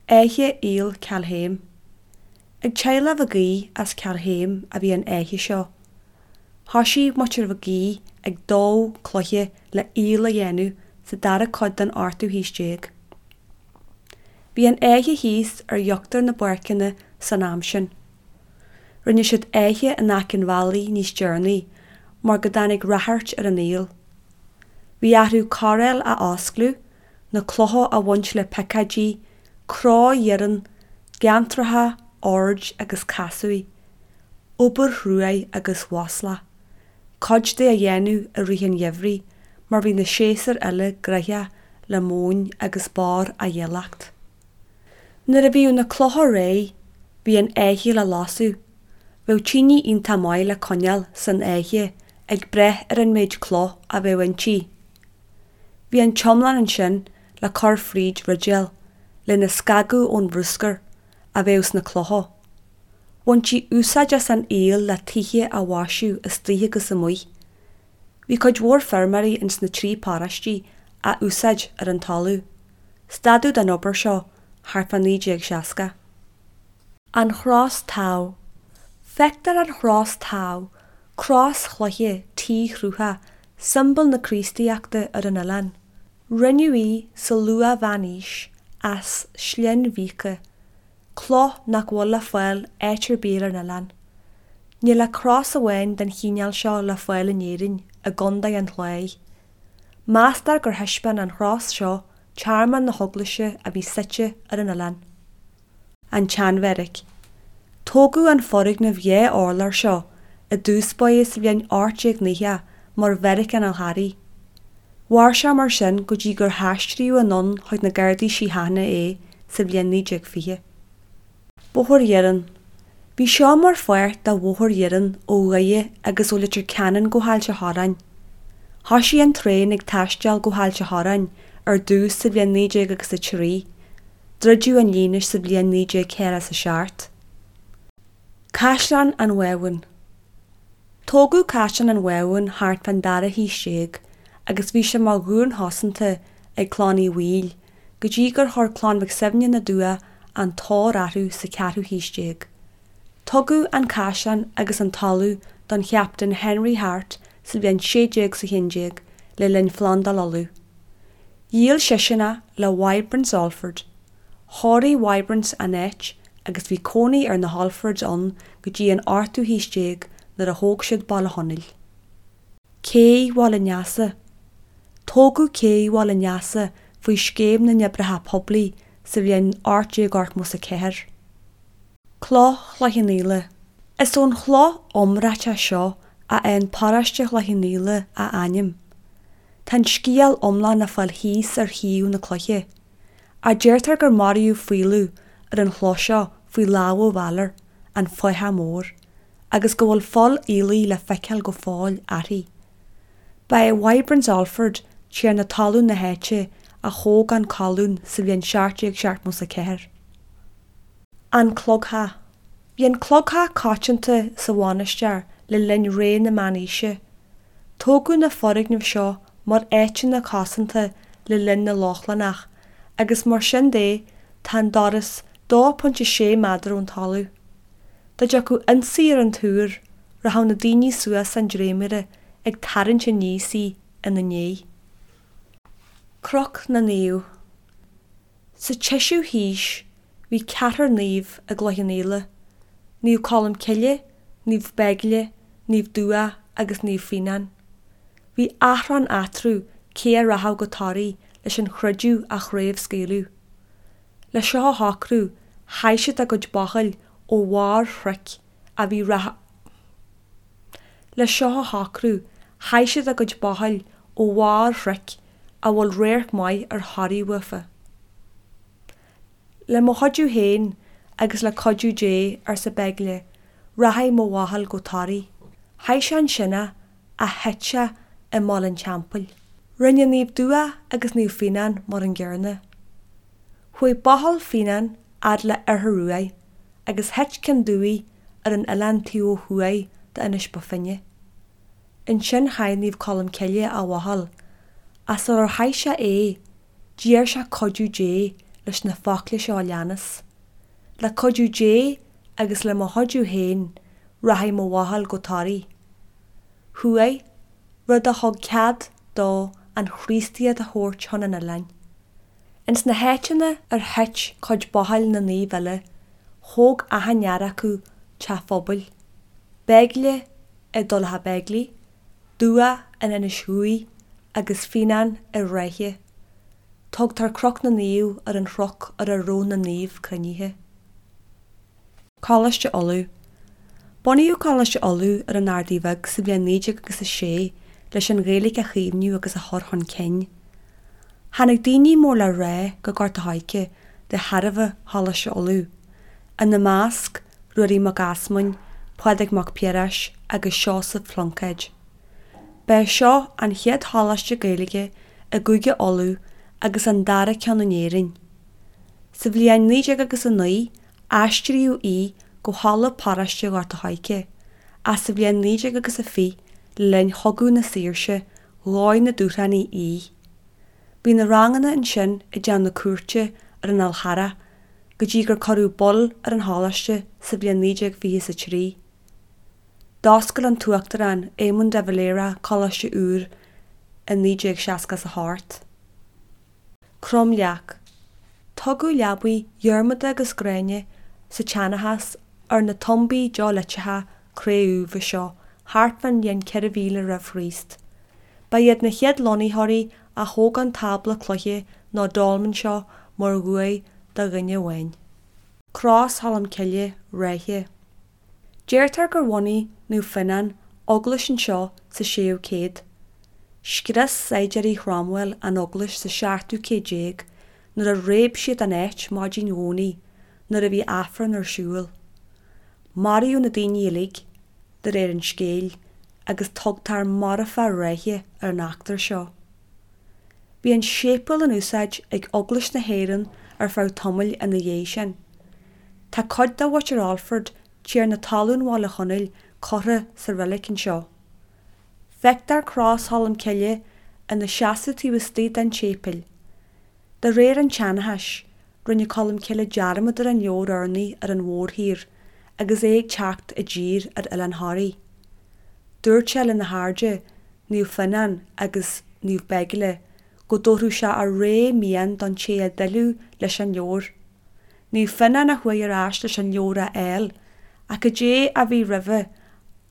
Fhaiche Aoil Ceallthéim. Ag teaghlach Mhig Aoidh as Ceallthéim a bhí an fhaiche seo. Thoisigh muintir Mhig Aoidh ag dó cloiche le haol a dhéanamh sa dara cuid den ochtú haois déag. Bhí an fhaiche thíos ar íochtar na bpáirceanna san am sin. Rinne siad faiche in aice an bhealaigh níos deireanaí mar go dtáinig ráchairt ar an aol. Bhí orthu coiréal a oscladh na clocha a bhaint le picáidí, cró iarainn, geantracha, oird agus casúir, obair chruaidh agus mhaslach, cuid de a dhéanamh i rith an gheimhridh mar bhí na séasúir eile gnoitheach le móin agus barr á dhíolacht. Nuair a bhíodh na clocha réidh, bhí an fhaiche le lasadh. Bheadh tine iontach maith le coinneáil san fhaiche ag brath ar an méid cloch a bheadh inti. Bhí an t-iomlán ansin le cur fríd ridéal lena scagadh ón bhruscar a bheadh sna clocha. Bhaintí úsáid as an aol le tithe a mhaisiú istoíche agus amuigh. Bhí cuid mhór feirmeoirí ins na trí paróistí á úsáid ar an talamh. Stadadh den obair seo thart fá 1960. An Chros Tadhall. Feictear an Chros Tadhall, cros chloiche T-chruthach, siombail na Críostaíochta ar an oileán. Rinneadh í sa luath-mheánaois as slinn-mhíoca, cloch nach bhfuil le fáil áit ar bith ar an oileán. Níl ach cros amháin den chineál seo le fáil in Éirinn, i gContae an Chláir. Meastar gur thaispeáin an chros seo tearmann na heaglaise a bhí suite ar an oileán. An tSeanbheairic. Tógadh an foirgneamh dhá urlár seo i dtús báire sa bhliain 1890 mar Bheairic an Fhál Charraigh. Mhair sé mar sin go dtí gur haistríodh anonn chuig na Gardaí Síochána é sa bhliain 1920. Bóthar Iarainn. Bhí seo mar pháirt de bhóthar iarainn ó Dhoire agus ó Leitir Ceanainn go hAilt a' Chorráin. Thoisigh an traein ag taisteal go hAilt a' Chorráin ar dtús sa bhliain 19 agus a 3. Druideadh an líne sa bhliain 1947. Caisleán an Bhábhúin. Tógadh Caisleán an Bhábhúin thart fán dara haois déag agus bhí sé mar dhún chosanta ag Clann Uí Bhaoill go dtí gur chuir Clann Mhic Suibhne na dTuath an tóir orthu sa cheathrú haois déag. Tugadh an caisleán agus an talamh don Chaptaen Henry Hart sa bhliain 1611 le linn Phlandáil Uladh. Dhíol seisean é le Wybrants Olford. Chóirigh Wybrants an áit agus bhí cónaí ar na hOlfords ann go dtí an ochtú haois déag nuair a thóg siad Baile Chonaill. Cé Bhaile Neasa. Tógadh Cé Bhaile Neasa faoi Scéim na nOibreacha Poiblí sa bhliain 1884. Cloch Chloich Cheann Fhaola. Is ón chloch iomráiteach seo a fhaigheann paróiste Chloich Cheann Fhaola a ainm. Tá an scéal iomlán le fáil thíos ar thaobh na cloiche. A deirtear gur maraíodh faoileadh ar an chloch seo faoi lámha Bhaloir, an fathach mór, agus go bhfuil fuil aoiligh le feiceáil go fóill uirthi. Ba é Wybrants Olford, tiarna talún na háite, a thóg an colún sa bhliain 1774. An Clogtheach. Bhí an clogtheach coitianta sa mhainistir le linn ré na Meánaoise. Tógadh na foirgnimh seo mar áiteanna cosanta le linn na Lochlannach agus mar sin de tá an doras 2.6 méadar ón talamh. Dá dtiocfadh ionsaí ar an túr, rachadh na daoine suas an dréimire ag tarraingt aníos í ina ndiaidh. Cnoc na Naomh. Sa tseisiú haois bhí ceathrar naomh i gCloich Cheann Fhaola, Naomh Colm Cille, Naomh Beigile, Naomh Dubhach agus Naomh Fíonán. Bhí achrann eatarthu cé a rachadh go Toraigh leis an chreideamh a chraobhscaoileadh. Le seo a shocrú, chaith siad a gcuid bachall ó bharr chnoic a bhí Le seo a shocrú, chaith siad a gcuid bachall ó bharr chnoic a bhfuil radharc maith ar Thoraigh uafa. Le mo chuidiú féin agus le cuidiú Dé, arsa Beigile, rachaidh mo bhachall go Toraigh. Chaith sé ansin é ach thit sé i mBaile an Teampaill. Rinne Naomh Dubhach agus Naomh Fíonán mar an gcéanna. Chuaigh bachall Fíonáin fhad le Oirthear Ruaidh agus thit ceann Dubhaigh ar an oileán taobh ó thuaidh d'Inis Bó Finne. Ansin chaith Naomh Colm Cille a bhachall, ach sular chaith sé é, d'iarr sé cuidiú Dé leis na focla seo a leanas, Le cuidiú Dé agus le mo chuidiú féin rachaidh mo bhachall go Toraigh. Chuaigh, rud a thug cead dó an Chríostaíocht a thabhairt chun an oileáin. Ins na háiteanna ar thit cuid bachall na naomh eile, thóg achan fhear acu teach phobail. Beigile i dTulach Beigile, Dubhach in Inis Dhuibh agus Fíonán i Ráithe. Tugtar Cnoc na Naomh ar an chnoc ar a raibh na naoimh cruinnithe. Coláiste Uladh. Bunaíodh Coláiste Uladh ar an Ardaidh Bheag sa bhliain 19 agus 6 leis an Ghaeilge a chaomhnú agus a chur chun cinn. Tháinig daoine mór le rá go Gort a' Choirce de thairbhe Choláiste Uladh, ina measc, Ruairí Mac Easmainn, Pádraig Mac Piarais agus Seosamh Pluincéid. Ba é seo an chéad choláiste Gaeilge i gCúige Uladh agus an dara ceann in Éirinn. Sa bhliain 19 agus 9 aistríodh í go halla paróiste Ghort a' Choirce, ach sa bhliain 19 agus 20 le linn Chogadh na Saoirse dhóigh na Dúshlánaigh í. Bhí na ranganna ansin i dteach na cúirte ar an Fhál Charrach go dtí gur cuireadh bail ar an choláiste sa bhliain 1923. D'oscail an tUachtarán Éamon de Valera coláiste úr i 1968. Cromleac. Tugadh leabaí Dhiarmada agus Gráinne sa tseanchas ar na tumbaí Neoiliteacha cré-umha seo thart fán bhliain 4000 roimh Chríost. Ba iad na chéad lonnaitheoirí a thóg an tábla cloiche nó dolmen seo mar uaigh do dhuine amháin. Cros Cholm Cille, Ráithe. Deirtear gur bhunaigh Naomh Fionnán eaglais anseo sa séú céad. Scrios saighdiúirí Chromwell an eaglais sa seachtú céad déag nuair a réab siad an áit maidin Dhomhnaigh nuair a bhí Aifreann ar siúl. Maraíodh na daoine uilig, de réir an scéil, agus tugtar marfach Ráithe ar an eachtra seo. Bhí an séipéal in úsáid ag Eaglais na hÉireann ar feadh tamaill ina dhiaidh sin. Tá cuid de mhuintir Alford, tiarna talún Bhaile Chonaill, curtha sa reilig anseo. Feictear Cros Cholm Cille ina seasamh taobh istigh den tséipéal. De réir an tseanchais, rinne Colm Cille dearmad ar an leabhar urnaí ar an mhórthír agus é ag teacht i dtír ar Oileán Thoraí. Dúirt sé lena chairde, Naomh Fionnán agus Naomh Beigile, go dtabharfadh sé a rogha mian don té a d'fhillfeadh leis an leabhar. Naomh Fionnán a chuaigh ar ais leis an leabhar a fháil, ach cad é a bhí roimhe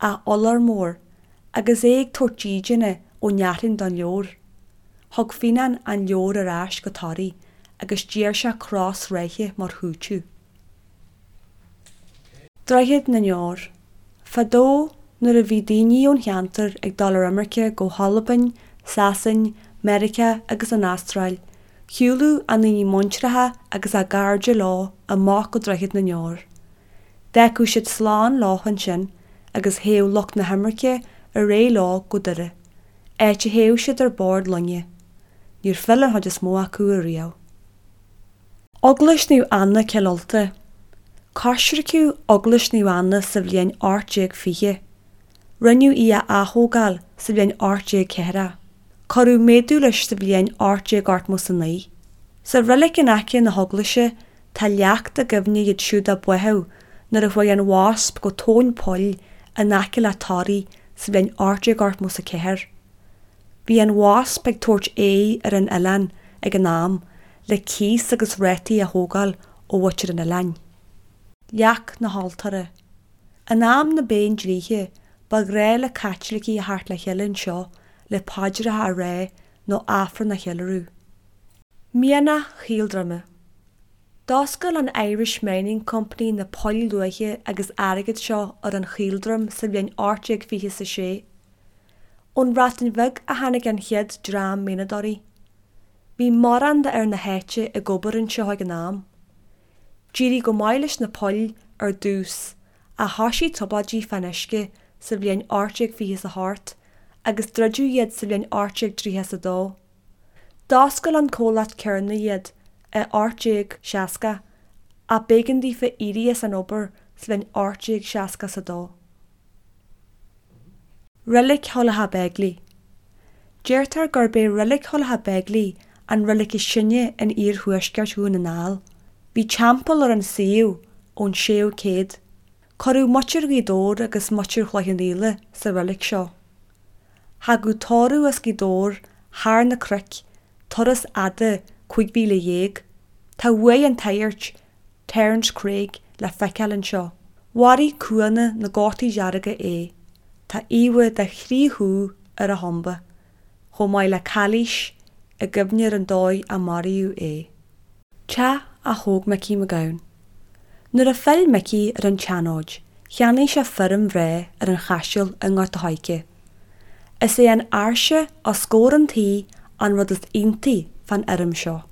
ach iolar mór, agus é ag tabhairt dídine ó Neachtain don leabhar. Thug Fionnán an leabhar ar ais go Toraigh agus d'iarr sé cros Ráithe mar chúiteamh. Droichead na nDeor. Fadó nuair a bhí daoine ón cheantar ag dul ar imirce go hAlbain, Sasain, Meiriceá agus an Astráil, shiúladh a ndaoine muintreacha agus a gcairde leo amach go Droichead na nDeor. D'fhágfadh siad slán leo ansin agus théadh lucht na himirce ar aghaidh leo go Doire, áit a théadh siad ar bord loinge. Níor phill an chuid is mó acu ariamh. Eaglais Naomh Anna, Cill Ulta. Coisriceadh Eaglais Naomh Anna sa bhliain 1820. Rinneadh í a ath-thógáil sa bhliain 1840. Cuireadh méadú leis sa bhliain 1889. Sa reilig in aice na heaglaise tá leacht i gcuimhne iad siúd a báthadh nuair a chuaigh an Wasp go tóin poill in aice le Toraigh sa bhliain 1884. Bhí an Wasp ag tabhairt aghaidh ar an oileán ag an am le cíos agus rátaí a thógáil ó mhuintir an oileáin. Leac na hAltóra. In am na bPéindlíthe, ba ghnáth le Caitlicigh a theacht le chéile anseo le paidreacha a rá nó Aifreann a cheiliúradh. Mianach Chaoldroma. D'oscail an Irish Mining Company na poill luaithe agus airgid seo ar an Chaoldroim sa bhliain 1826. Ón Bhreatain Bheag a tháinig an chéad dream mianadóirí. Bhí mórán d'fhear na háite ag obair anseo ag an am. D'éirigh go maith leis na poill ar dtús ach thoisigh trioblóidí fán uisce sa bhliain 1828 agus druideadh iad sa bhliain 1832. D'oscail an comhlacht céanna iad i 1860 ach b'éigean daofa éirí as an obair sa bhliain 1862. Reilig Thulach Beigile. Deirtear gurb é Reilig Thulach Beigile an reilig is sine in iarthuaisceart Dhún na nGall. Bhí teampall ar an suíomh ón 6ú céad. Cuireadh muintir Ghaoth Dobhair agus muintir Chloich Cheann Fhaola sa reilig seo. Thagadh tórramh as Gaoth Dobhair thar na cnoic, turas fhada 15 mhíle. Tá uaigh an tsaghairt, Terence Craig, le feiceáil anseo. Mharaigh cúanna na gCótaí Dearga é. Tá íomha de chroí dhubh ar a thumba, chomh maith le cailís i gcuimhne ar an dóigh a maraíodh é. Teach a thóg Micí Mac Gabhann. Nuair a phill Micí ar an tSeanóid, cheannaigh sé feirm bhreá ar an Chaiseal i nGort a' Choirce. Is é an áirse os comhair an tí an rud is iontaí fán fheirm seo.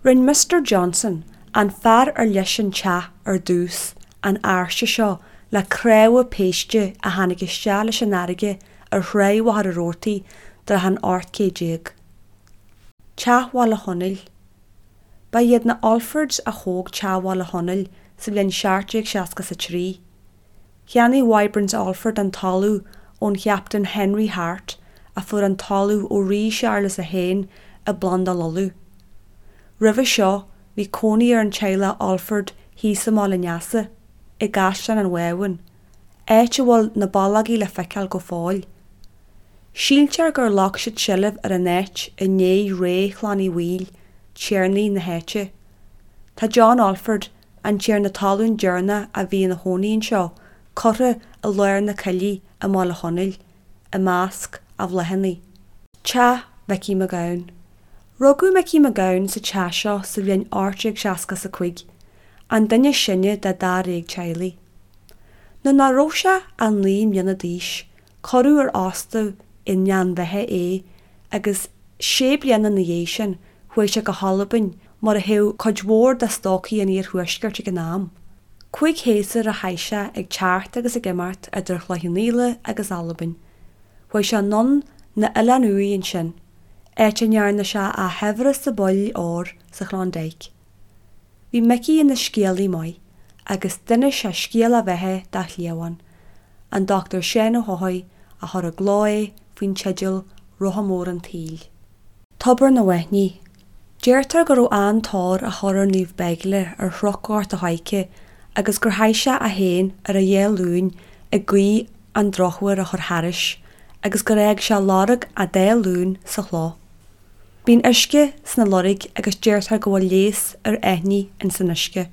Rinn Mister Johnson, an fear ar leis an teach ar dtús, an áirse seo le cnámha péiste a tháinig isteach leis an fharraige ar thráigh Mhachaire Rabhartaigh dtráth an 18 céad. Teach Bhaile Chonaill. Ba iad na Alfords a thóg Teach Bhaile Chonaill sa bhliain 1763. Cheannaigh Wybrants Alford an talamh ón Chaptaen Henry Hart a fuair an talamh ó Rí Séarlas a hAon i bPlandáil Uladh. Roimhe seo bhí cónaí ar an teaghlach Alford thíos i mBaile an Easa, i gCaisleán an Bhábhúin, áit a bhfuil na ballógaí le feiceáil go fóill. Síltear gur ghlac siad seilbh ar an áit i ndiaidh ré Chlann Uí Bhaoill, tiarnaí na háite. Tá John Alford, an tiarna talún deireanach a bhí ina chónaí anseo, curtha i lár na coillí i mBaile Chonaill, i measc a bhláthanna. Teach Mhicí Mac Gabhann. Rugadh Micí Mac Gabhann sa teach seo sa bhliain 1865, an duine is sine de dháréag teaghlaigh. Nuair nach raibh sé ach 9 mbliana d'aois, Cuireadh ar fhostú i nGleann Bheatha é agus sé bliana ina dhiaidh sin chuaigh sé go hAlbain mar a théadh cuid mhór de stócaigh an iarthuaiscirt ag an am. Cuig shéasúr a chaith sé ag teacht agus ag imeacht idir Chloich Cheann Fhaola agus Albain. Chuaigh sé anonn na Oileáin Uaighe ansin, áit a ndearna sé a shaibhreas i bpoill óir sa Chlondyke. Bhí Micí ina scéalaí maith agus d'inis sé scéal a bheatha dá chliamhain, an Dr Seán Ó hEochaidh a chuir i gcló é faoin teideal Rotha Mór an tSaoil. Tobar na bhFaithní. Deirtear go raibh an-tóir á chur ar Naomh Beigle ar Chnoc Ghort a' Choirce agus gur chaith sé é féin ar a dhá ghlúin ag guí an drochuair a chur thairis agus gur fhág sé lorg a dá ghlúin sa chloch. Bíonn uisce sna loirg agus deirtear go bhfuil leigheas ar fhaithní ins an uisce.